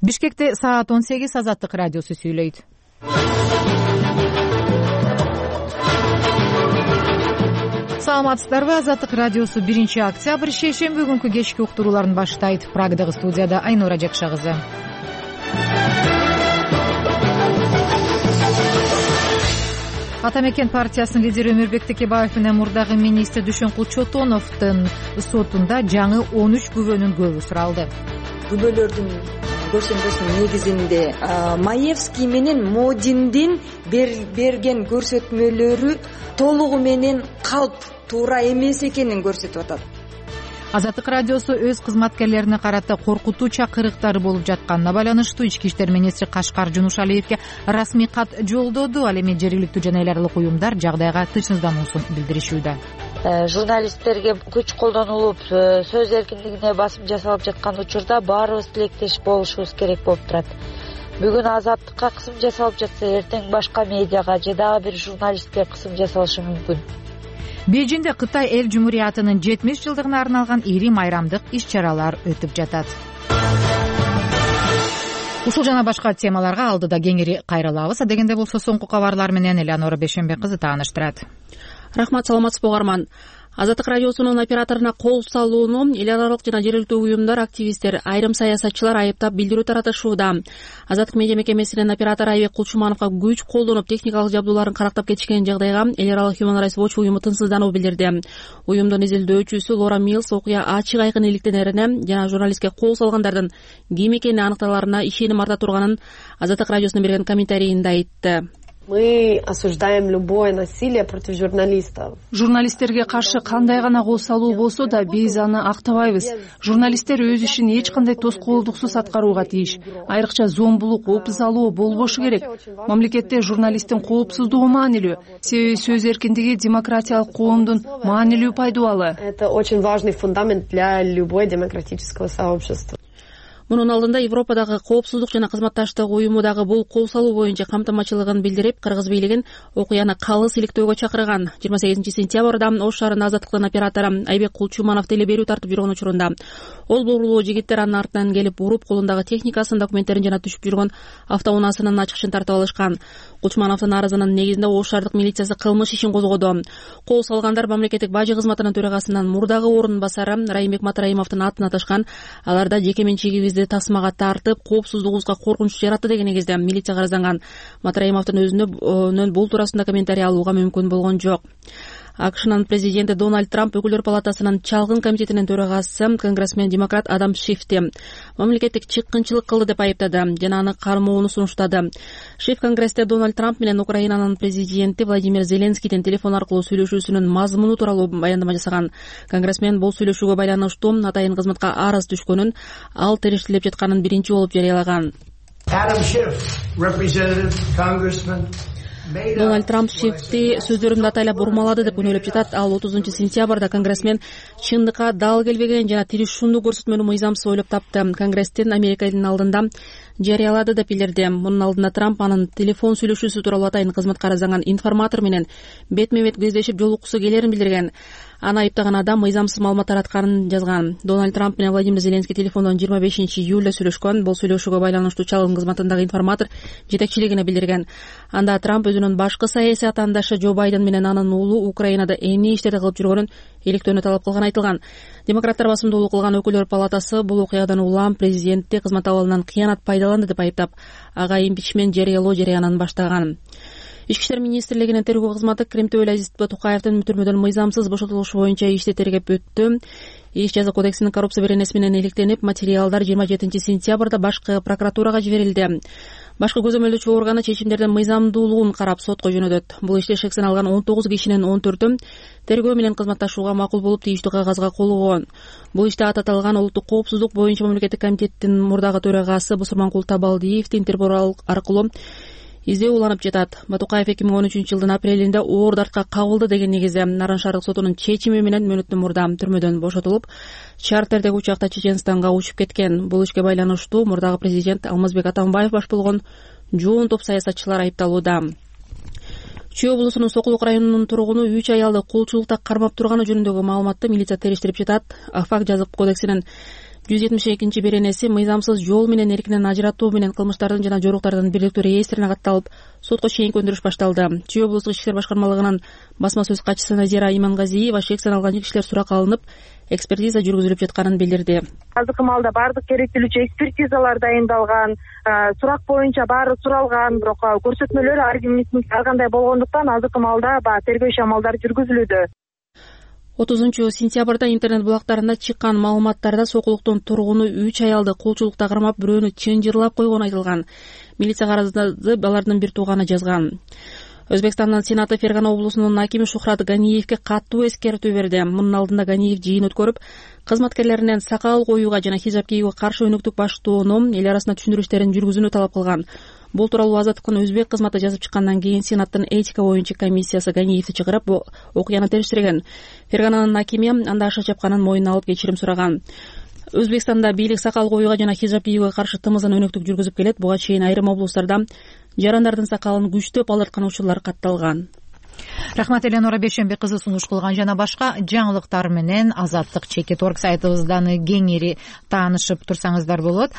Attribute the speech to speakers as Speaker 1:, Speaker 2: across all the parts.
Speaker 1: Бишкекте саат 18 Азаттык радиосу сүйлөйт. Саламатсыздарбы? Азаттык радиосу 1-октябрь шейшемби күнкү кечки уктурууларын баштайт. Прагдагы студияда Айнура Жакша кызы. Ата мекен партиясынын лидери Өмүрбек Текебаев менен мурдагы министр Дүйшөнкул Чотоновдун сотунда жаңы 13 күбөнүн көбү суралды.
Speaker 2: Күбөлөрдүн көрсөтмөсүнүн негизинде Маевский менен Модиндин берген көрсөтмөлөрү толугу менен калп туура эмес экенин көрсөтүп атат.
Speaker 1: Азаттык радиосу өз кызматкерлерине карата коркутуу чакырыктары болуп жатканына байланыштуу Ички иштер министри Кашкар Жунушалиевге расмий кат жолдоду. Ал эми жергиликтүү жана эл аралык уюмдар жагдайга тынчсыздануусун билдиришүүдө.
Speaker 3: Журналисттерге күч колдонулуп, сөз эркиндигине басым жасалып жаткан учурда баарыбыз тилектеш болушубуз керек болуп турат. Бүгүн Азаттыкка кысым жасалып жатса, эртең башка медиага же дагы бир журналистке кысым жасалышы мүмкүн.
Speaker 1: Бейжиңде Кытай эл жумуриятынын 70 жылдыгына арналган ири майрамдык иш-чаралар өтүп жатат. Ушул жана башка темаларга алдыда кеңири кайрылабыз. Дегенде болсо соңку кабарлар менен Элеонора Бешенбек кызы тааныштырат.
Speaker 4: Рахмат, саламатсызбы угарман. Азаттык радиосунун операторуна кол салууну эл аралык жана жергиликтүү уюмдар, активисттер, айрым саясатчылар айыптап билдирүү таратышууда. Азаттык медиа мекемесинин оператору Айбек Кулчумановго күч колдонуп техникалык жабдууларын карактап кетишкен жагдайга эл аралык Human Rights Watch уюму тынчсыздануу билдирди. Уюмдун изилдөөчүсү Лора Милс окуя ачык айкын иликтенерине жана журналистке кол салгандардын ким экени аныкталарына ишеним арта турганын Азаттык радиосуна берген комментарийинде айтты.
Speaker 5: Мы осуждаем любое насилие против журналистов.
Speaker 6: Журналисттерге каршы кандай гана кол салуу болсо да биз аны актабайбыз. Журналисттер өз ишин эч кандай тоскоолдуксуз аткарууга тийиш. Айрыкча зомбулук, опузалоо болбошу керек. Мамлекетте журналисттин коопсуздугу маанилүү. Себеби сөз эркиндиги демократиялык коомдун маанилүү пайдубалы.
Speaker 5: Это очень важный фундамент для любой демократического сообщества.
Speaker 4: Мунун алдында Европадагы коопсуздук жана кызматташтык уюму дагы бул кол салуу боюнча камтамачылыгын билдирип, кыргыз бийлигин окуяны калыс иликтөөгө чакырган. 28 сентябрда Ош шаарынын Азаттыктын оператору Айбек Кулчуманов телеберүү тартып жүргөн учурунда ол бурлуу жигиттер анын артынан келип уруп, колундагы техникасын, документтерин жана түшүп жүргөн автоунаасынын ачкычын тартып алышкан. Кулчумановдун арызынын негизинде Ош шаардык милициясы кылмыш ишин козгоду. Кол салгандар мамлекеттик бажы кызматынын төрагасынын мурдагы орун басары Райымбек Матраимовдун атын аташкан. Аларда жеке менчигибизди тасмага тартып, коопсуздугубузга коркунуч жаратты деген негизде милиция арызанган. Матраимовдун өзүнөн бул туурасында комментарий алууга мүмкүн болгон жок. АКШнын президенти Дональд Трамп өкүлдөр палатасынын чалгын комитетинин төрагасы конгрессмен демократ Адам Шифти мамлекеттик чыккынчылык кылды деп айыптады жана аны кармоону сунуштады. Шиф конгрессте Дональд Трамп менен Украинанын президенти Владимир Зеленскийдин телефон аркылуу сүйлөшүүсүнүн мазмуну тууралуу баяндама жасаган. Конгрессмен бул сүйлөшүүгө байланыштуу атайын кызматка арыз түшкөнүн, ал териштелип жатканын биринчи болуп жарыялаган.
Speaker 7: Adam Schiff, representative, congressman.
Speaker 4: Дональд Трамп Шифти сөздөрүмдү атайлап урмалады деп күнөөлөп жатат. Ал 30 сентябрда конгрессмен чындыкка дал келбеген жана тиришундуу көрсөтмөнү мыйзамсыз ойлоп тапты. Конгресстин Американын алдында жарыялады деп билдирди. Мунун алдында Трамп анын телефон сүйлөшүүсү тууралуу атайын кызматка арызанган информатор менен бетме бет кездешип жолуккусу келерин билдирген. Аны айыптаган адам мыйзамсыз маалымат таратканын жазган. Дональд Трамп менен Владимир Зеленский телефондон 25 июлда сүйлөшкөн. Бул сүйлөшүүгө байланыштуу чалгын кызматындагы информатор жетекчилигине билдирген. Анда Трамп өзүнүн башкы саясий атаандашы Джо Байден менен анын уулу Украинада эмне иштерди кылып жүргөнүн иликтөөнү талап кылганы айтылган. Демократтар басымдуулук кылган өкүлдөр палатасы бул окуядан улам президентти кызмат абалынан кыянат пайдаланды деп айыптап, ага импичмент жарыялоо жарыянын баштаган. Ички иштер министрлигинин тергөө кызматы Кремтөөлө Азиз Батукаевдин түрмөдөн мыйзамсыз бошотулушу боюнча ишти тергеп өттү. Иш жаза кодексинин коррупция беренеси менен иликтенип, материалдар 27 сентябрда башкы прокуратурага жиберилди. Башкы көзөмөлдөөчү органы чечимдердин мыйзамдуулугун карап сотко жөнөтөт. Бул иште шексен алган 19 кишинин 14-ü тергөө менен кызматташууга макул болуп тийиштүү кагазга кол койгон. Бул иште аталган улуттук коопсуздук боюнча мамлекеттик комитеттин мурдагы төрагасы Бусурманкул Табалдиевди Интерпол аркылуу издөө уланып жатат. Батукаев 2013 жылдын апрелинде оор дартка кабылды деген негизде Нарын шаардык сотунун чечими менен мөөнөттөн мурда түрмөдөн бошотулуп, чартердеги учакта Чеченстанга учуп кеткен. Бул ишке байланыштуу мурдагы президент Алмазбек Атамбаев баш болгон жоон топ саясатчылар айыпталууда. Чүй облусунун Сокулук районунун тургуну 3 аялды кулчулукта кармап турганы жөнүндөгү маалыматты милиция териштирип жатат. Факт жазык кодексинин 172 беренеси мыйзамсыз жол менен эркинен ажыратуу менен кылмыштардын жана жоруктардын бирдиктүү реестрине катталып, сотко чейинки өндүрүш башталды. Чүй облустук ички иштер башкармалыгынын басма сөз катчысы Назира Имангазиева шек саналган кишилер суракка алынып, экспертиза жүргүзүлүп жатканын билдирди.
Speaker 8: Азыркы маалда баардык керектелүүчү экспертизалар дайындалган, сурак боюнча баары суралган, бирок көрсөтмөлөр ар кандай болгондуктан азыркы маалда тергөө иш амалдары жүргүзүлүүдө.
Speaker 4: 30-сентябрда интернет булактарында чыккан маалыматтарда сокулуктун тургуну 3 аялды колчулукта кармап, бирөөнү чынжырлап койгону айтылган. Милиция карыздарды алардын бир тууганы жазган. Өзбекстандын Сенаты Фергана облусунун акими Шухрат Ганиевке каттуу эскертүү берди. Мунун алдында Ганиев жыйын өткөрүп, кызматкерлеринен сакал коюуга жана хижап кийүүгө каршы өнөктүк баштоону, эл арасында түшүндүрүштөрүн жүргүзүүнү талап кылган. Бул тууралуу Азаттыктын өзбек кызматы жазып чыккандан кийин Сенаттын этика боюнча комиссиясы Ганиевди чыгарып, окуяны териштирген. Фергананын акими анда аша чапканын мойнуна алып кечирим сураган. Өзбекстанда бийлик сакал коюуга жана хижап кийүүгө каршы тымызын өнөктүк жүргүзүп келет. Буга чейин айрым облустарда жарандардын сакалын күчтөп алырткан учурлар катталган.
Speaker 1: Рахмат, Эленора Бейшенбек кызы сунуш кылган. Жана башка жаңылыктар менен Азаттык Чекит.org сайтыбыздан кеңири таанышып турсаңыздар болот.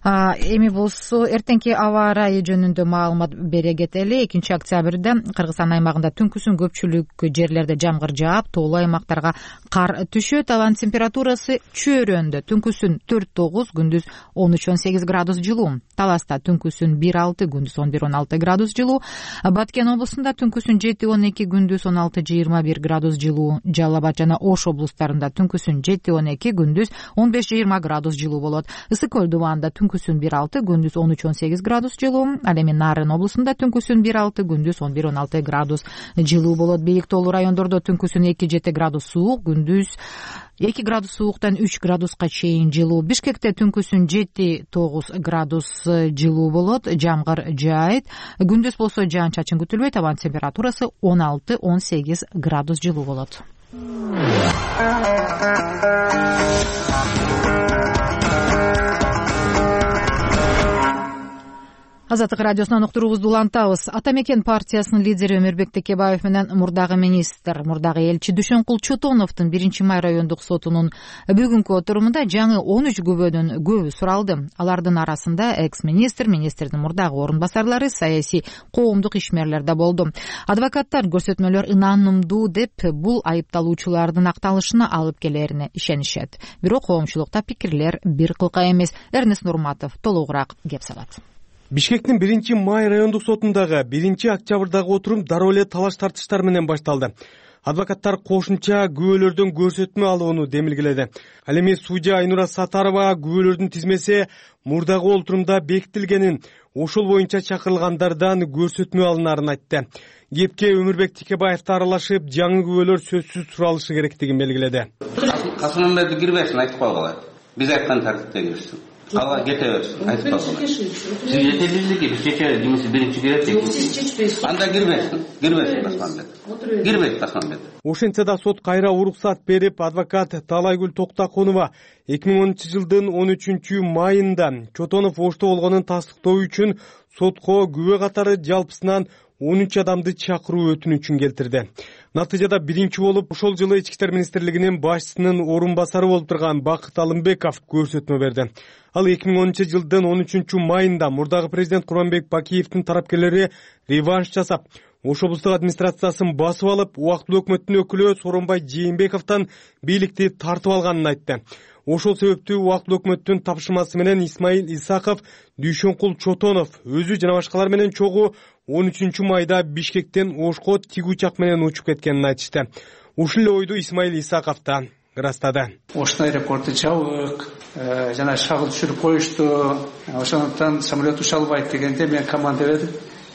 Speaker 1: Эми болсо эртеңки аба ырайы жөнүндө маалымат бере кетели. 2-октябрда Кыргызстан аймагында түнкүсүн көпчүлүк жерлерде жамгыр жаап, тоолуу аймактарга кар түшөт. Абанын температурасы чөйрөндө түнкүсүн 4-9, күндүз 13-18 градус жылуу. Таласта түнкүсүн 1-6, күндүз 11-16 градус жылуу. Баткен облусунда түнкүсүн 7-12, күндүз 16-21 градус жылуу. Жалал Абад жана Ош облустарында түнкүсүн 7-12, күндүз 15-20 градус жылуу болот. Ысык көл дубаанда түнкүсүн 1-6, күндүз 13-18 градус жылуу. Ал эми Нарын облусунда түнкүсүн 1-6, күндүз 11-16 градус жылуу болот. Бийик тоолуу райондордо түнкүсүн 2-7 градус суук, күндүз 2 градус сууктан 3 градуска чейин жылуу. Бишкекте түнкүсүн 7-9 градус жылуу болот. Жамгыр жаайт. Күндүз болсо жаан-чачын күтүлбөйт. Абанын температурасы 16-18 градус жылуу болот. Азаттык радиосунан уктуруубузду улантабыз. Ата мекен партиясынын лидери Өмүрбек Текебаев менен мурдагы министр, мурдагы элчи Дүйшөнкул Чотоновдун 1-май райондук сотунун бүгүнкү отурумунда жаңы 13 күбөнүн көбү суралды. Алардын арасында экс-министр, министрдин мурдагы орун басарлары, саясий коомдук ишмерлер да болду. Адвокаттар көрсөтмөлөр ынанымдуу деп бул айыпталуучулардын акталышына алып келерине ишенишет. Бирок коомчулукта пикирлер бир кылка эмес. Эрнест Нурматов толугураак кеп салат.
Speaker 9: Бишкектин 1-май райондук сотундагы 1-октябрдагы отурум дароо эле талаш тартыштар менен башталды. Адвокаттар кошумча күбөлөрдөн көрсөтмө алууну демилгеледи. Ал эми судья Айнура Сатарова күбөлөрдүн тизмеси мурдагы отурумда бекитилгенин, ошол боюнча чакырылгандардан көрсөтмө алынарын айтты. Кепке Өмүрбек Текебаев аралашып, жаңы күбөлөр сөзсүз суралышы керектигин белгиледи.
Speaker 10: Касымбекти кирбесин айтып койгула. Биз айткан тартипте кирсин. Ала кете берсин, айтып койгула. Сиз жетелүүлүгү биз чечебиз, кимиси биринчи кирет дейт. Сиз чечпейсиз. Анда кирбесин Касымбек. Кирбейт Касымбек.
Speaker 9: Ошентсе да сот кайра уруксат берип, адвокат Талайгүл Токтаконова 2010-жылдын 13-майында Чотонов Ошто болгонун тастыктоо үчүн сотко күбө катары жалпысынан 13 адамды чакыруу өтүнүчүн келтирди. Натыйжада биринчи болуп ошол жылы Ички иштер министрлигинин башчысынын орун басары болуп турган Бакыт Алымбеков көрсөтмө берди. Ал 2010-жылдын 13-майында мурдагы президент Курманбек Бакиевдин тарапкерлери реванш жасап, Ош облустук администрациясын басып алып, убактылуу өкмөттүн өкүлү Сооронбай Жээнбековдон бийликти тартып алганын айтты. Ошол себептүү убактылуу өкмөттүн тапшырмасы менен Исмаил Исаков, Дүйшөнкул Чотонов өзү жана башкалар менен чогуу 13-майда Бишкектен Ошко тиг учак менен учуп кеткенин айтышты. Ушул эле ойду Исмаил Исаков да ырастады.
Speaker 11: Ошто аэропорту жабык, жана шагыл түшүрүп коюшту. Ошондуктан самолет уча албайт дегенде мен команда бердим.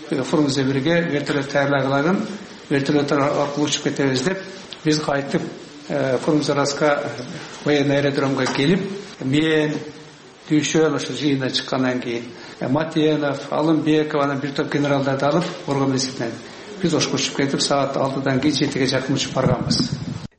Speaker 11: Фурумузда бирге вертолет даярлагылагын, вертолет аркылуу учуп кетебиз деп, биз кайтып Фурумзараска военный аэродромго келип, мен Дүйшөн ошо жыйындан чыккандан кийин Матенов, Алымбеков, анан бир топ генералдарды алып, Орго милициясынан биз Ошко учуп кетип, саат 6-дан кийин 7-ге жакын учуп барганбыз.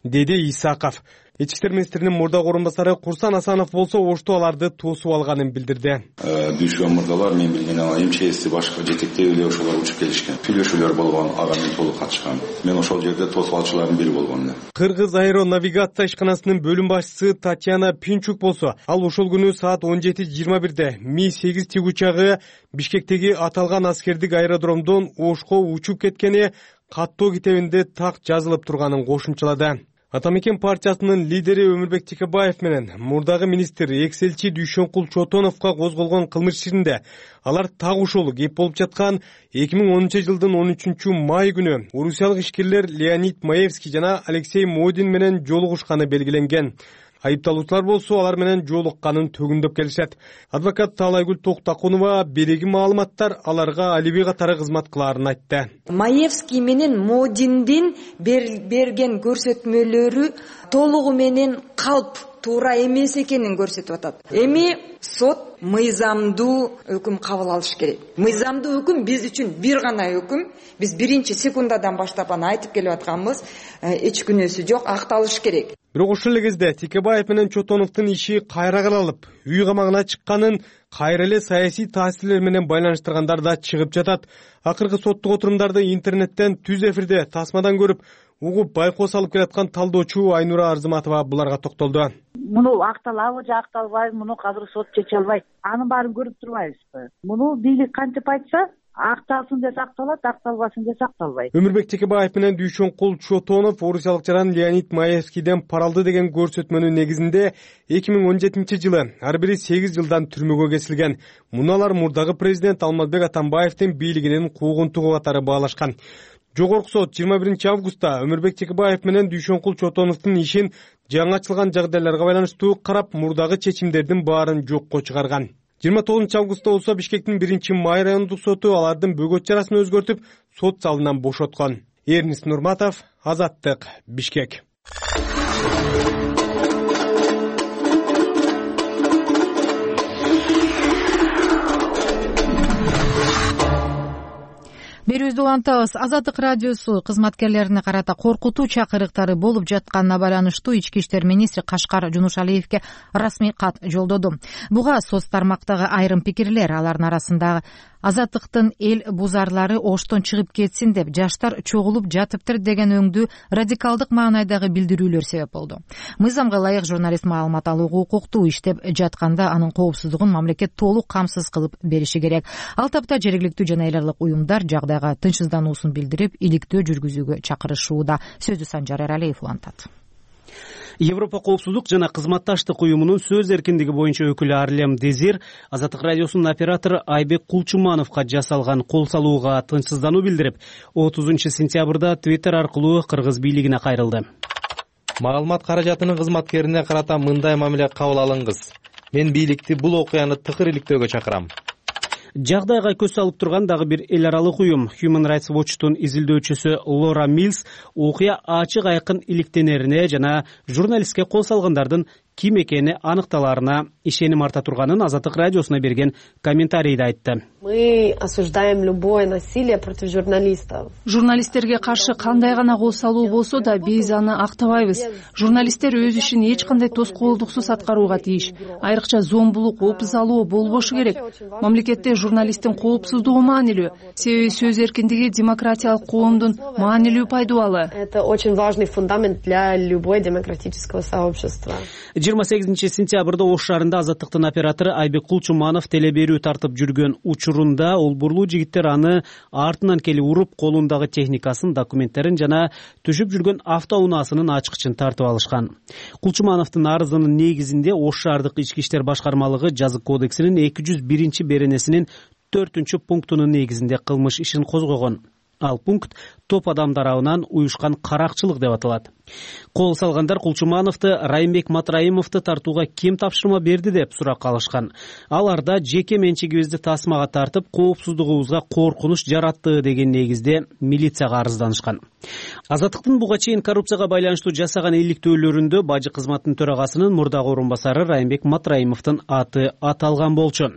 Speaker 9: Деди Исаков. Ички иштер министринин мурдагы орун басары Курсан Асанов болсо ошту аларды тосуп алганын билдирди.
Speaker 12: Дүйшөбү мырзалар мен билген МЧС башка жетектеүүлөр ошолор учуп келишкен. Сүйлөшүүлөр болгон, ага мен толук катышкан. Мен ошол жерде тосуп алчылардын бири болгон.
Speaker 9: Кыргыз аэронавигация ишканасынын бөлүм башчысы Татьяна Пинчук болсо, ал ошол күнү саат 17:21 Ми-8 тигучагы Бишкектеги аталган аскердик аэродромдон Ошко учуп кеткени каттоо китебинде так жазылып турганын кошумчалады. Атамекен партиясынын лидери Өмүрбек Текебаев менен мурдагы министр экс-элчи Дүйшөнкул Чотоновго козголгон кылмыш ишинде алар так ушул кеп болуп жаткан 2010-жылдын 13-май күнү орусиялык ишкерлер Леонид Маевский жана Алексей Модин менен жолугушканы белгиленген. Айыпталуучулар болсо алар менен жолукканын төгүндөп келишет. Адвокат Талайгүл Токтакунова береги маалыматтар аларга алиби катары кызмат кылаарын айтты.
Speaker 2: Маевский менен Модиндин берген көрсөтмөлөрү толугу менен калп туура эмес экенин көрсөтүп атат. Эми сот мыйзамдуу өкүм кабыл алыш керек. Мыйзамдуу өкүм биз үчүн бир гана өкүм. Биз биринчи секундадан баштап аны айтып келип атканбыз. Эч күнөөсү жок, акталыш керек.
Speaker 9: Бирок ошол эле кезде Текебаев менен Чотоновдун иши кайра каралып, үй камагына чыкканын кайра эле саясий таасирлер менен байланыштыргандар да чыгып жатат. Акыркы соттук отурумдарды интернеттен түз эфирде тасмадан көрүп, угуп байкоо салып келаткан талдоочу Айнура Арзыматова буларга токтолду.
Speaker 13: Муну акталабы же акталбайбы, муну азыр сот чече албайт. Анын баарын көрүп турбайбызбы? Муну бийлик кантип айтса, акталсын десе акталат, акталбасын десе акталбайт.
Speaker 9: Өмүрбек Текебаев менен Дүйшөнкул Чотонов орусиялык жаран Леонид Маевскийден пара алды деген көрсөтмөнүн негизинде 2017-жылы ар бири 8 жылдан түрмөгө кесилген. Муну алар мурдагы президент Алмазбек Атамбаевдин бийлигинин куугунтугу катары баалашкан. Жогорку сот 21-августта Өмүрбек Текебаев менен Дүйшөнкул Чотоновдун ишин жаңы ачылган жагдайларга байланыштуу карап, мурдагы чечимдердин баарын жокко чыгарган. 29-августта болсо Бишкектин 1-Май райондук соту алардын бөгөт чарасын өзгөртүп, сот залынан бошоткон. Эрнис Нурматов, Азаттык, Бишкек.
Speaker 1: Берүүбүздү улантабыз. Азаттык радиосу кызматкерлерине карата коркутуу чакырыктары болуп жатканына байланыштуу ички иштер министри Кашкар Жунушалиевке расмий кат жолдоду. Буга соц тармактагы айрым пикирлер, алардын арасындагы азаттыктын эл бузарлары Оштон чыгып кетсин деп жаштар чогулуп жатыптыр деген өңдүү радикалдык маанайдагы билдирүүлөр себеп болду. Мыйзамга ылайык журналист маалымат алууга укуктуу, иштеп жатканда анын коопсуздугун мамлекет толук камсыз кылып бериши керек. Ал тапта жергиликтүү жана эл аралык уюмдар жагдайга тынчсыздануусун билдирип, иликтөө жүргүзүүгө чакырышууда. Сөздү Санжар Эралиев улантат.
Speaker 14: Европа коопсуздук жана кызматташтык уюмунун сөз эркиндиги боюнча өкүлү Арлем Дезир Азаттык радиосунун оператору Айбек Кулчумановго жасалган кол салууга тынчсыздануу билдирип, 30-сентябрда Twitter аркылуу кыргыз бийлигине кайрылды.
Speaker 15: Маалымат каражатынын кызматкерине карата мындай мамиле кабыл алыңыз. Мен бийликти бул окуяны тыкыр иликтөөгө чакырам.
Speaker 14: Жагдайга көз салып турган дагы бир эл аралык уюм Human Rights Watch'тун изилдөөчүсү Лора Милс окуя ачык айкын иликтенерине жана журналистке кол салгандардын ким экени аныкталарына ишеним арта турганын Азаттык радиосуна берген комментарийде айтты.
Speaker 5: Мы осуждаем любое насилие против журналистов.
Speaker 6: Журналисттерге каршы кандай гана кол салуу болсо да биз аны актабайбыз. Журналисттер өз ишин эч кандай тоскоолдуксуз аткарууга тийиш. Айрыкча зомбулук, опузалоо болбошу керек. Мамлекетте журналисттин коопсуздугу маанилүү. Себеби сөз эркиндиги демократиялык коомдун маанилүү пайдубалы.
Speaker 5: Это очень важный фундамент для любой демократического сообщества.
Speaker 14: 28-сентябрда Ош шаарында Азаттыктын оператору Айбек Кулчуманов телеберүү тартып жүргөн учурунда олбурлуу жигиттер аны артынан келип уруп, колундагы техникасын, документтерин жана түшүп жүргөн автоунаасынын ачкычын тартып алышкан. Кулчумановдун арызынын негизинде Ош шаардык ички иштер башкармалыгы жазык кодексинин 201 беренесинин 4-пунктунун негизинде кылмыш ишин козгогон. Ал пункт топ адам тарабынан уюшкан каракчылык деп аталат. Кол салгандар Кулчумановду, Райымбек Матраимовду тартууга ким тапшырма берди деп суракка алышкан. Аларда жеке менчигибизди тасмага тартып, коопсуздугубузга коркунуч жаратты деген негизде милицияга арызданышкан. Азаттыктын буга чейин коррупцияга байланыштуу жасаган иликтөөлөрүндө бажы кызматтын төрагасынын мурдагы орун басары Райымбек Матраимовдун аты аталган болчу.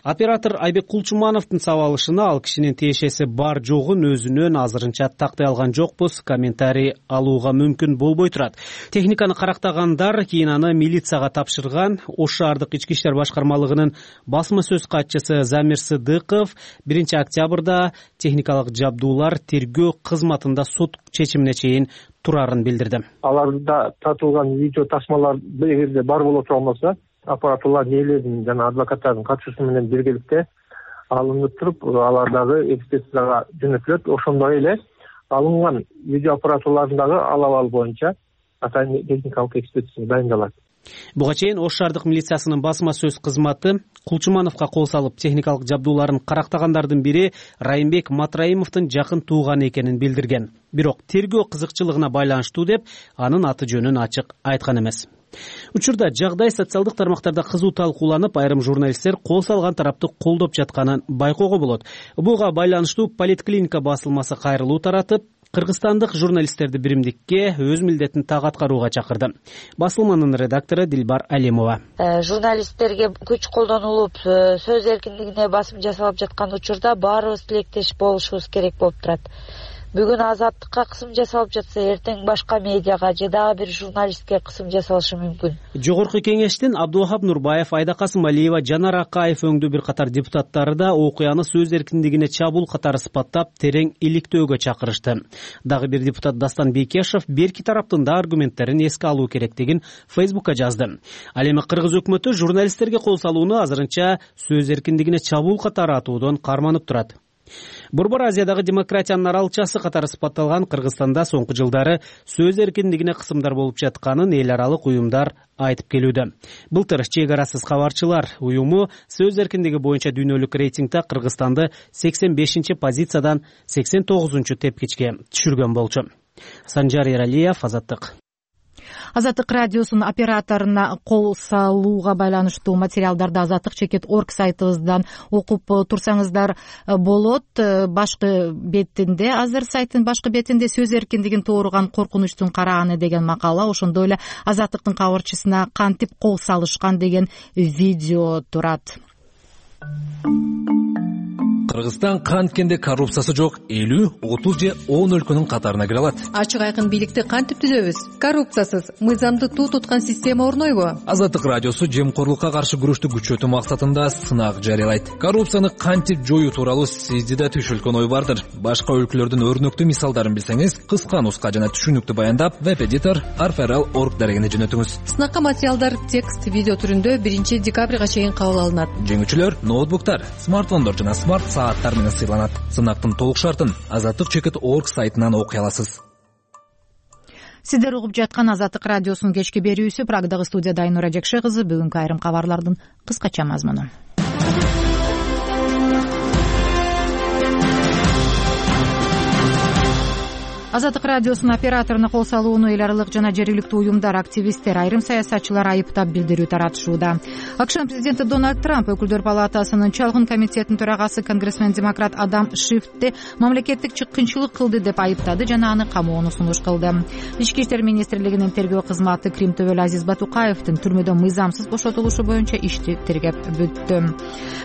Speaker 14: Оператор Айбек Кулчумановдун сабалышына ал кишинин тиешеси бар жогун өзүнөн азырынча тактай алган жокпуз, комментарий алууга мүмкүн мүмкүн болбой турат. Техниканы карактагандар кийин аны милицияга тапшырган. Ош шаардык ички иштер башкармалыгынын басма сөз катчысы Замир Сыдыков 1-октябрда техникалык жабдуулар тергөө кызматында сот чечимине чейин турарын билдирди.
Speaker 16: Аларда тартылган видео тасмалар эгерде бар боло турган болсо, аппаратурлардын ээлеринин жана адвокаттардын катышуусу менен биргеликте алынып туруп, алардагы экспертизага жөнөтүлөт. Ошондой эле алынган видео аппаратурларындагы алабал боюнча атайын техникалык экспертиза дайындалат.
Speaker 14: Буга чейин Ош шаардык милициясынын басма сөз кызматы Кулчумановго кол салып, техникалык жабдууларын карактагандардын бири Райымбек Матраимовдун жакын тууганы экенин билдирген. Бирок тергөө кызыкчылыгына байланыштуу деп анын аты жөнүн ачык айткан эмес. Учурда жагдай социалдык тармактарда кызуу талкууланып, айрым журналисттер кол салган тарапты колдоп жатканын байкоого болот. Буга байланыштуу Политклиника басылмасы кайрылуу таратып, кыргызстандык журналисттерди биримдикке өз милдетин так аткарууга чакырды. Басылманын редактору Дилбар Алимова.
Speaker 3: Журналисттерге күч колдонулуп, сөз эркиндигине басым жасалып жаткан учурда баарыбыз тилектеш болушубуз керек болуп турат. Бүгүн азаттыкка кысым жасалып жатса, эртең башка медиага же дагы бир журналистке кысым жасалышы мүмкүн.
Speaker 14: Жогорку кеңештин Абдулвахап Нурбаев, Айда Касымалиева, Жанар Акаев өңдүү бир катар депутаттары да окуяны сөз эркиндигине чабуул катары сыпаттап, терең иликтөөгө чакырышты. Дагы бир депутат Дастан Бейкешев берки тараптын да аргументтерин эске алуу керектигин Фейсбукка жазды. Ал эми кыргыз өкмөтү журналисттерге кол салууну азырынча сөз эркиндигине чабуул катары атуудон карманып турат. Борбор Азиядагы демократиянын аралчасы катары сыпатталган Кыргызстанда соңку жылдары сөз эркиндигине кысымдар болуп жатканын эл аралык уюмдар айтып келүүдө. Былтыр Чек арасыз кабарчылар уюму сөз эркиндиги боюнча дүйнөлүк рейтингде Кыргызстанды 85-чи позициядан 89-чу тепкичке түшүргөн болчу. Санжар Эралиев, Азаттык.
Speaker 1: Азаттык радиосунун операторуна кол салууга байланыштуу материалдарды azattik.org сайтыбыздан окуп турсаңыздар болот. Башкы бетинде, азыр сайттын башкы бетинде сөз эркиндигин тууруган коркунучтун карааны деген макала, ошондой эле Азаттыктын кабарчысына кантип кол салышкан деген видео турат.
Speaker 17: Кыргызстан канткенде коррупциясы жок 50, 30 же 10 өлкөнүн катарына кире алат.
Speaker 18: Ачык айкын бийликти кантип түзөбүз? Коррупциясыз, мыйзамды туу туткан система орнойбу?
Speaker 17: Азаттык радиосу жемкорлукка каршы күрөштү күчөтүү максатында сынак жарыялайт. Коррупцияны кантип жоюу тууралуу сизде да түшүлгөн ой бардыр. Башка өлкөлөрдүн өрнөктүү мисалдарын билсеңиз, кыска нуска жана түшүнүктүү баяндап веб-эдитор arferal.org дарегине жөнөтүңүз.
Speaker 18: Сынакка материалдар текст, видео түрүндө 1-декабрга чейин кабыл алынат.
Speaker 17: Жеңүүчүлөр ноутбуктар, смартфондор жана смарт сааттар менен сыйланат. Сынактын толук шартын azattik.org сайтынан окуй аласыз.
Speaker 1: Сиздер угуп жаткан Азаттык радиосунун кечки берүүсү. Прагдагы студияда Айнура Жекше кызы. Бүгүнкү айрым кабарлардын кыскача мазмуну. Азаттык радиосунун операторуна кол салууну эл аралык жана жергиликтүү уюмдар, активисттер, айрым саясатчылар айыптап билдирүү таратышууда. АКШнын президенти Дональд Трамп өкүлдөр палатасынын чалгын комитетинин төрагасы конгрессмен демократ Адам Шифтти мамлекеттик чыккынчылык кылды деп айыптады жана аны камоону сунуш кылды. Ички иштер министрлигинин тергөө кызматы Крим төбөлү Азиз Батукаевдин түрмөдөн мыйзамсыз бошотулушу боюнча ишти тергеп бүттү.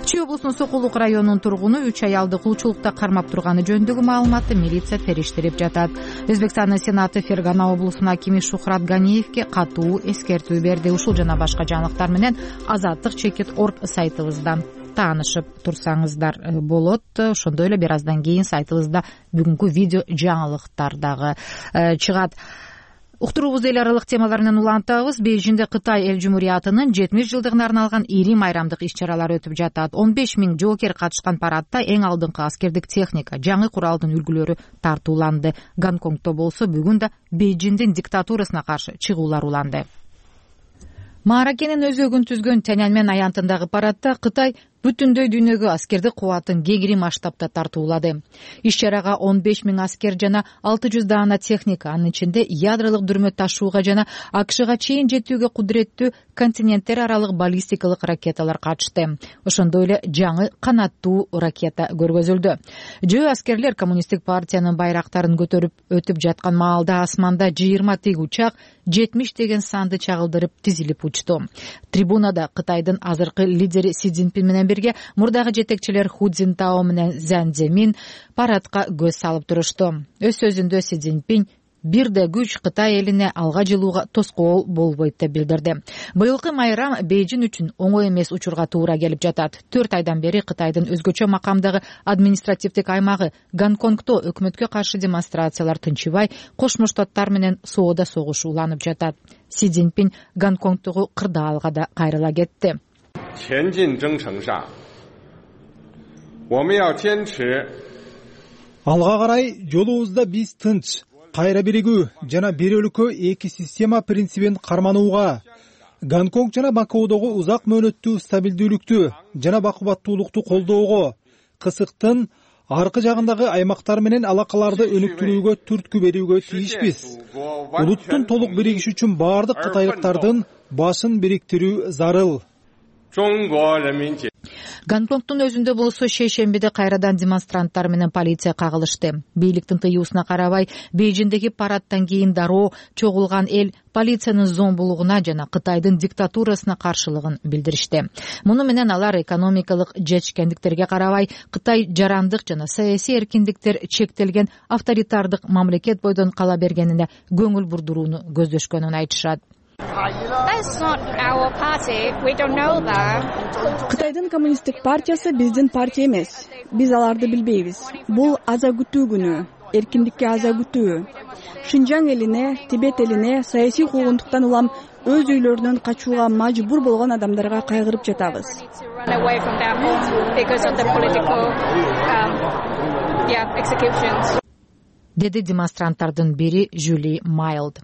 Speaker 1: Чүй облусунун Сокулук районунун тургуну 3 аялды кулчулукта кармап турганы жөнүндөгү маалыматты милиция териштирип жатат. Өзбекстандын сенаты Фергана облусунун акими Шухрат Ганиевке катуу эскертүү берди. Ушул жана башка жаңылыктар менен azattik.org сайтыбыздан таанышып турсаңыздар болот. Ошондой эле бир аздан кийин сайтыбызда бүгүнкү видео жаңылыктар дагы чыгат. Уктуруубузду эл аралык темаларынан улантабыз. Бейжиңде Кытай эл жумуриятынын 70 жылдыгына арналган ири майрамдык иш-чаралар өтүп жатат. 15 000 жоокер катышкан парадта эң алдыңкы аскердик техника, жаңы куралдын үлгүлөрү тартууланды. Гонконгдо болсо бүгүн да Бейжиңдин диктатурасына каршы чыгуулар уланды. Мааракенин өзөгүн түзгөн Тяньаньмэн аянтындагы парадта Кытай бүтүндөй дүйнөгө аскердик кубатын кегири масштабта тартуулады. Иш-чарага 15 000 аскер жана 600 даана техника, анын ичинде ядролук дүрмө ташууга жана АКШга чейин жетүүгө кудуреттүү континенттер аралык баллистикалык ракеталар катышты. Ошондой эле жаңы канаттуу ракета көргөзүлдү. Жөө аскерлер коммунисттик партиянын байрактарын көтөрүп өтүп жаткан маалда асманда 20 тик учак 70 деген санды чагылдырып тизилип учту. Трибунада Кытайдын азыркы лидери Си Цзиньпин менен бирге мурдагы жетекчилер Ху Цзинтао менен Цзян Цземин парадка көз салып турушту. Өз сөзүндө Си Цзиньпин бир да күч Кытай элине алга жылууга тоскоол болбойт деп билдирди. Быйылкы майрам Бейжин үчүн оңой эмес учурга туура келип жатат. 4 айдан бери Кытайдын өзгөчө макамдагы административдик аймагы Гонконгдо өкмөткө каршы демонстрациялар тынчыбай, Кошмо Штаттар менен соода согуш уланып жатат. Си Цзиньпин Гонконгдогу кырдаалга да кайрыла кетти.
Speaker 19: Алга карай жолубузда биз тынч, кайра биригүү жана бир өлкө эки система принцибин карманууга, Гонконг жана Макаодогу узак мөөнөттүү стабилдүүлүктү жана бакубаттуулукту колдоого, кысыктын аркы жагындагы аймактар менен алакаларды өнүктүрүүгө түрткү берүүгө тийишпиз. Улуттун толук биригиши үчүн баардык кытайлыктардын башын бириктирүү зарыл.
Speaker 1: Гонконгдун өзүндө болсо шейшембиде кайрадан демонстранттар менен полиция кагылышты. Бийликтин тыюусуна карабай, Бейжиндеги парадтан кийин дароо чогулган эл полициянын зомбулугуна жана Кытайдын диктатурасына каршылыгын билдиришти. Муну менен алар экономикалык жетишкендиктерге карабай, Кытай жарандык жана саясий эркиндиктер чектелген авторитардык мамлекет бойдон кала бергенине көңүл бурдурууну көздөшкөнүн айтышат.
Speaker 20: Кытайдын коммунисттик партиясы биздин партия эмес. Биз аларды билбейбиз. Бул аза күтүү күнү, эркиндикке аза күтүү. Шинжаң элине, Тибет элине саясий куугунтуктан улам өз үйлөрүнөн качууга мажбур болгон адамдарга кайгырып жатабыз.
Speaker 1: Деди демонстранттардын бири Жюли Майлд.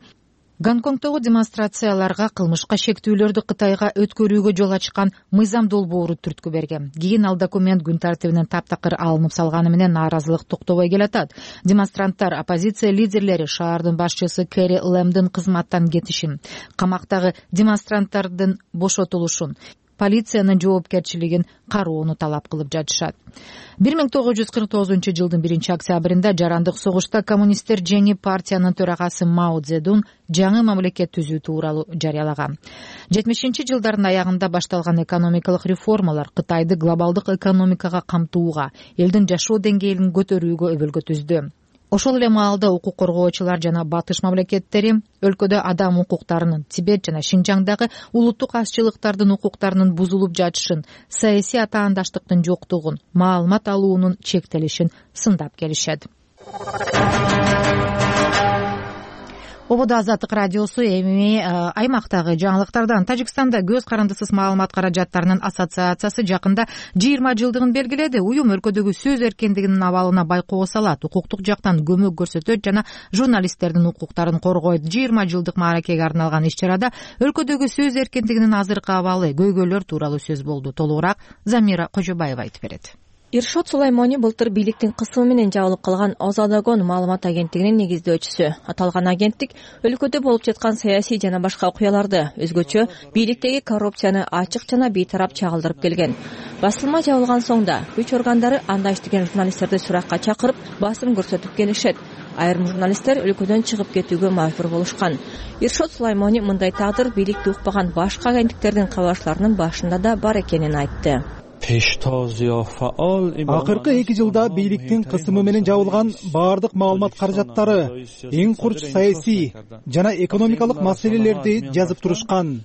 Speaker 1: Гонконгдогу демонстрацияларга кылмышка шектүүлөрдү Кытайга өткөрүүгө жол ачкан мыйзам долбоору түрткү берген. Кийин ал документ күн тартибинен таптакыр алынып салганы менен нааразылык токтобой келатат. Демонстранттар оппозиция лидерлери шаардын башчысы Кэри Лэмдин кызматтан кетишин, камактагы демонстранттардын бошотулушун, полициянын жоопкерчилигин кароону талап кылып жатышат. 1949-жылдын 1-октябрында жарандык согушта коммунисттер жеңип партиянын төрагасы Мао Цзэдун жаңы мамлекет түзүү тууралуу жарыялаган. 70-жылдардын аягында башталган экономикалык реформалар Кытайды глобалдык экономикага камтууга, элдин жашоо деңгээлин көтөрүүгө өбөлгө түздү. Ошол эле маалда укук коргоочулар жана батыш мамлекеттери өлкөдө адам укуктарынын, Тибет жана Шинжаңдагы улуттук азчылыктардын укуктарынын бузулуп жатышын, саясий атаандаштыктын жоктугун, маалымат алуунун чектелишин сындап келишет. Ободо Азаттык радиосу эми аймактагы жаңылыктардан. Тажикстанда көз карандысыз маалымат каражаттарынын ассоциациясы жакында 20 жылдыгын белгиледи. Уюм өлкөдөгү сөз эркиндигинин абалына байкоо салат, укуктук жактан көмөк көрсөтөт жана журналисттердин укуктарын коргойт. 20 жылдык мааракеге арналган иш-чарада өлкөдөгү сөз эркиндигинин азыркы абалы, көйгөйлөр тууралуу сөз болду. Толугураак Замира Кожобаева айтып берет.
Speaker 21: Иршот Сулаймони былтыр бийликтин кысымы менен жабылып калган Озадагон маалымат агенттигинин негиздөөчүсү. Аталган агенттик өлкөдө болуп жаткан саясий жана башка окуяларды, өзгөчө бийликтеги коррупцияны ачык жана бейтарап чагылдырып келген. Басылма жабылган соң да күч органдары анда иштеген журналисттерди суракка чакырып, басым көрсөтүп келишет. Айрым журналисттер өлкөдөн чыгып кетүүгө мажбур болушкан. Иршот Сулаймони мындай тагдыр бийликти укпаган башка агенттиктердин кабарчыларынын башында да бар экенин айтты.
Speaker 19: Акыркы 2 жылда бийликтин кысымы менен жабылган баардык маалымат каражаттары эң курч саясий жана экономикалык маселелерди жазып турушкан.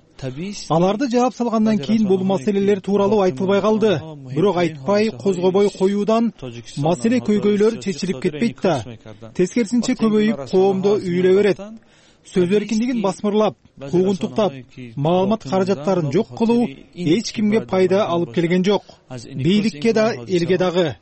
Speaker 19: Аларды жаап салгандан кийин бул маселелер тууралуу айтылбай калды. Бирок айтпай, козгобой коюудан маселе көйгөйлөр чечилип кетпейт да. Тескерисинче көбөйүп, коомдо үйлө берет. Сөз эркиндигин басмырлап, куугунтуктап, маалымат каражаттарын жок кылуу эч кимге пайда алып келген жок. Бийликке да, элге дагы.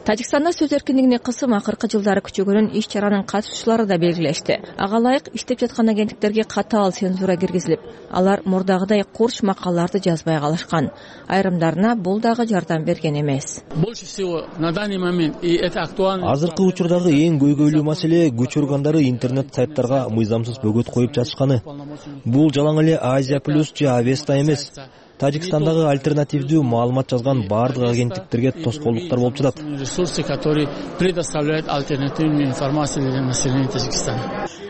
Speaker 21: Тажикстанда сөз эркиндигине кысым акыркы жылдары күчөгөнүн иш-чаранын катышуучулары да белгилешти. Ага ылайык иштеп жаткан агенттиктерге катаал цензура киргизилип, алар мурдагыдай курч макалаларды жазбай калышкан. Айрымдарына бул дагы жардам берген эмес.
Speaker 22: Азыркы учурдагы эң көйгөйлүү маселе күч органдары интернет сайттарга мыйзамсыз бөгөт коюп жатышканы. Бул жалаң эле Азия плюс же Авеста эмес. Тажикстандагы альтернативдүү маалымат жазган баардык агенттиктерге тоскоолдуктар болуп жатат.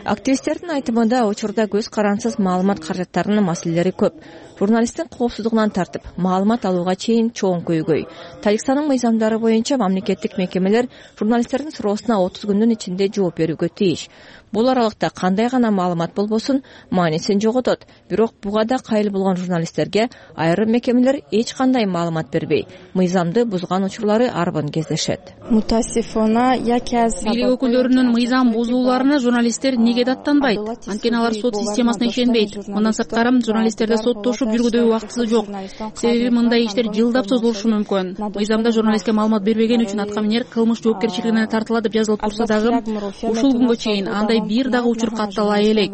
Speaker 21: Активисттердин айтымында учурда көз карансыз маалымат каражаттарынын маселелери көп. Журналисттин коопсуздугунан тартып, маалымат алууга чейин чоң көйгөй. Тажикстандын мыйзамдары боюнча мамлекеттик мекемелер журналисттердин суроосуна 30 күндүн ичинде жооп берүүгө тийиш. Бул аралыкта кандай гана маалымат болбосун маанисин жоготот. Бирок буга да кайыл болгон журналисттерге айрым мекемелер эч кандай маалымат бербей, мыйзамды бузган учурлары арбын кездешет.
Speaker 4: Бийлик өкүлдөрүнүн мыйзам бузууларына журналисттер неге даттанбайт? Анткени алар сот системасына ишенбейт. Мындан сырткары журналисттерде соттошуп жүргүдөй убактысы жок. Себеби мындай иштер жылдап созулушу мүмкүн. Мыйзамда журналистке маалымат бербеген үчүн атка-минер кылмыш жоопкерчилигине тартылат деп жазылып турса дагы, ушул күнгө чейин андай бир дагы учур катталбай элек.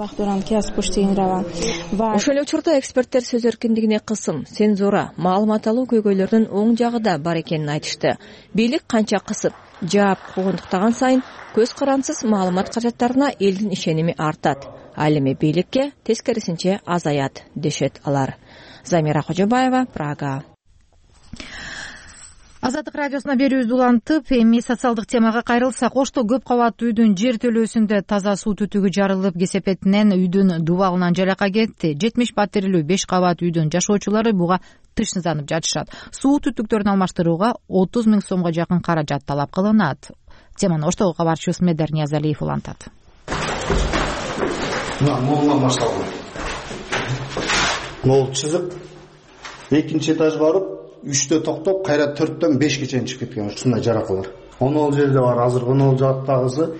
Speaker 21: Ошол эле учурда эксперттер сөз эркиндигине кысым, цензура, маалымат алуу көйгөйлөрүнүн оң жагы да бар экенин айтышты. Бийлик канча кысып, жаап куугунтуктаган сайын көз карансыз маалымат каражаттарына элдин ишеними артат. Ал эми бийликке тескерисинче азаят, дешет алар. Замира Кожобаева, Прага.
Speaker 1: Азаттык радиосуна берүүбүздү улантып, эми социалдык темага кайрылсак, Ошто көп кабаттуу үйдүн жер төлөөсүндө таза суу түтүгү жарылып, кесепетинен үйдүн дубалынан жалака кетти. 70 паттерлүү 5 кабат үйдүн жашоочулары буга тышсызданып жатышат. Суу түтүктөрүн алмаштырууга 30 000 сомго жакын каражат талап кылынат. Теманы Оштогу кабарчыбыз Медер Ниязалиев улантат.
Speaker 7: Молунан башталган. Мол чызык, экинчи этаж барып, 3-тө токтоп, кайра 4-төн 5ке чейин чыгып кеткен ушундай жаракалар. Онол жерде бар, азыр онол жактагысы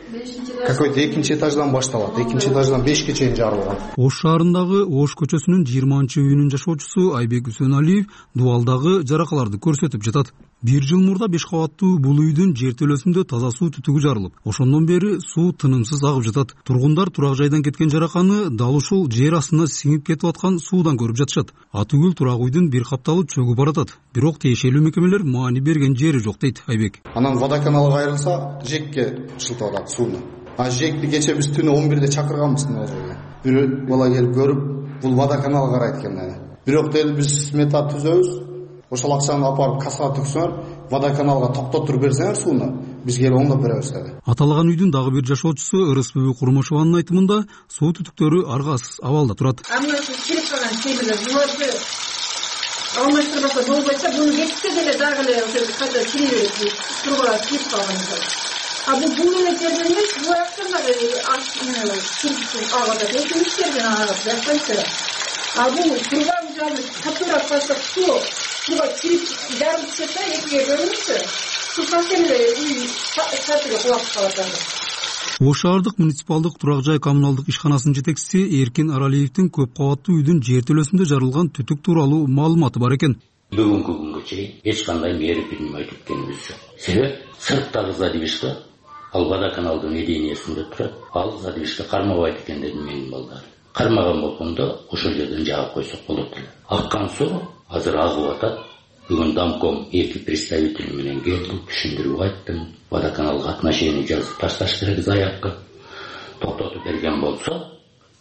Speaker 7: какой-то экинчи этаждан башталат. Экинчи этаждан 5ке чейин жарылган.
Speaker 8: Ош шаарындагы Ош көчөсүнүн 20-үйүнүн жашоочусу Айбек Үсөналиев дубалдагы жаракаларды көрсөтүп жатат. 1 жыл мурда 5 кабаттуу бул үйдүн жер төлөөсүндө таза суу түтүгү жарылып, ошондон бери суу тынымсыз агып жатат. Тургундар турак жайдан кеткен жараканы дал ушул жер астына сиңип кетип аткан суудан көрүп жатышат. Атүгүл турак үйдүн бир капталы чөгүп баратат. Бирок тиешелүү мекемелер маани берген жери жок дейт Айбек.
Speaker 7: Анан водоканалга айрылса, жекке ушултуп атат сууну. А жекти кече биз түнү 11-де чакырганбыз мына жерге. Бирөө бала келип көрүп, бул водоканал карайт экен dedi. Бирок деди биз смета түзөбүз. Ошол акчаны апарып кассага түксөңөр, водоканалга токтотуп берсеңер сууну, биз келип оңдоп беребиз dedi.
Speaker 8: Аталган үйдүн дагы бир жашоочусу Ырысбүбү Курмашеванын айтымында суу түтүктөрү аргасыз абалда турат.
Speaker 23: Мына кирип калган темирлер буларды алмаштырбаса болбойт, буну кетсе деле дагы эле ошо кайта кире берет, турбага кирип калган. Бул эле жерден эмес, бул жактан дагы кирип агат, экинчи жерден агат, жакпайт. Бул турбан жагы катуураак басып суу туга кирип жарылып кетсе, экиге бөлүнсө, суу совсем эле үй сатыга кулап калат.
Speaker 8: Ош шаардык муниципалдык турак жай коммуналдык ишканасынын жетекчиси Эркин Аралиевдин көп кабаттуу үйдүн жер төлөөсүндө жарылган түтүк тууралуу маалыматы бар экен.
Speaker 24: Бүгүнкү күнгө чейин эч кандай мээри принимай эткенибиз жок. Себеп сырттагы задвижка ал водоканалдын эдениясында турат. Ал задвижка кармабайт экен деди менин балдар. Кармаган болгондо ошол жерден жаап койсок болот эле. Аккан суу азыр агып атат. Бүгүн Дамком 2 представители менен келдим, түшүндүрүп айттым. Водоканалга отношение жазып ташташ керек заявка. Токтотуп берген болсо,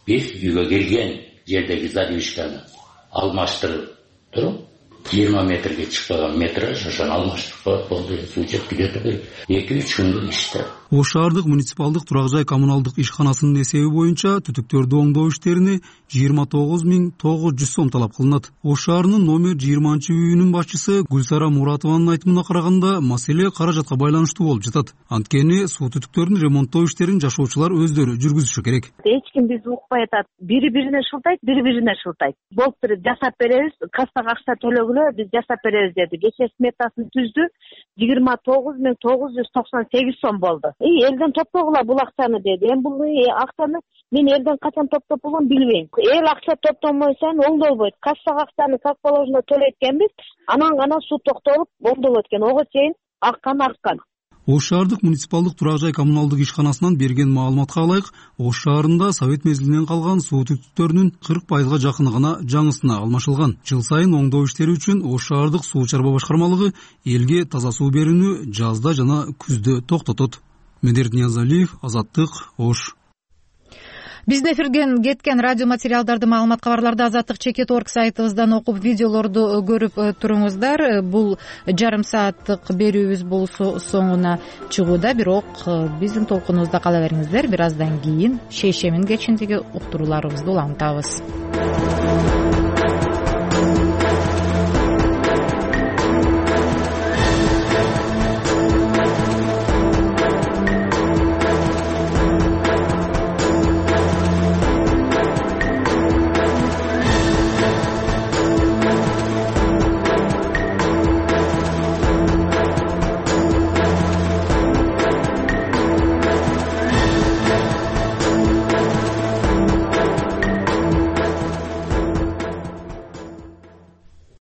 Speaker 24: биз үйгө кирген жердеги задвижканы алмаштырып туруп, 20 метрге чыкпаган метраж ошону алмаштырып коет болду. Суу жетип кетти. 2-3 күндүк иште.
Speaker 8: Ош шаардык муниципалдык турак жай коммуналдык ишканасынын эсеби боюнча түтүктөрдү оңдоо иштерине 29 900 сом талап кылынат. Ош шаарынын номер 20-үйүнүн башчысы Гүлсара Муратованын айтымына караганда, маселе каражатка байланыштуу болуп жатат. Анткени суу түтүктөрүн ремонттоо иштерин жашоочулар өздөрү жүргүзүшү керек.
Speaker 13: Эч ким бизди укпай атат. Бири-бирине шылтайт, бири-бирине шылтайт. Болуптур, жасап беребиз, кассага акча төлөгүлө, биз жасап беребиз деди. Кече сметасын түздү, 29 998 сом болду. Элден топтогула бул акчаны деди. Бул акчаны мен элден качан топтоп болгон билбейм. Эл акча топтомойсаң оңдолбойт. Кассага акчаны как положено төлөйткенбиз, анан гана суу токтолуп оңдолот экен. Ого чейин аккан.
Speaker 8: Ош шаардык муниципалдык турак жай коммуналдык ишканасынан берген маалыматка ылайык, Ош шаарында совет мезгилинен калган суу түтүктөрүнүн 40% жакыны гана жаңысына алмашылган. Жыл сайын оңдоо иштери үчүн Ош шаардык суу чарба башкармалыгы элге таза суу берүүнү жазда жана күздө токтотот. Медер Ниязалиев, Азаттык, Ош.
Speaker 1: биздин эфирден кеткен радио материалдарды, маалымат, кабарларды Азаттык Чекит орг сайтыбыздан окуп, видеолорду көрүп туруңуздар. Бул жарым сааттык берүүбүз болсо соңуна чыгууда, бирок биздин толкунубузда кала бериңиздер. Бир аздан кийин шейшемин кечиндеги уктурууларыбызды уламтабыз.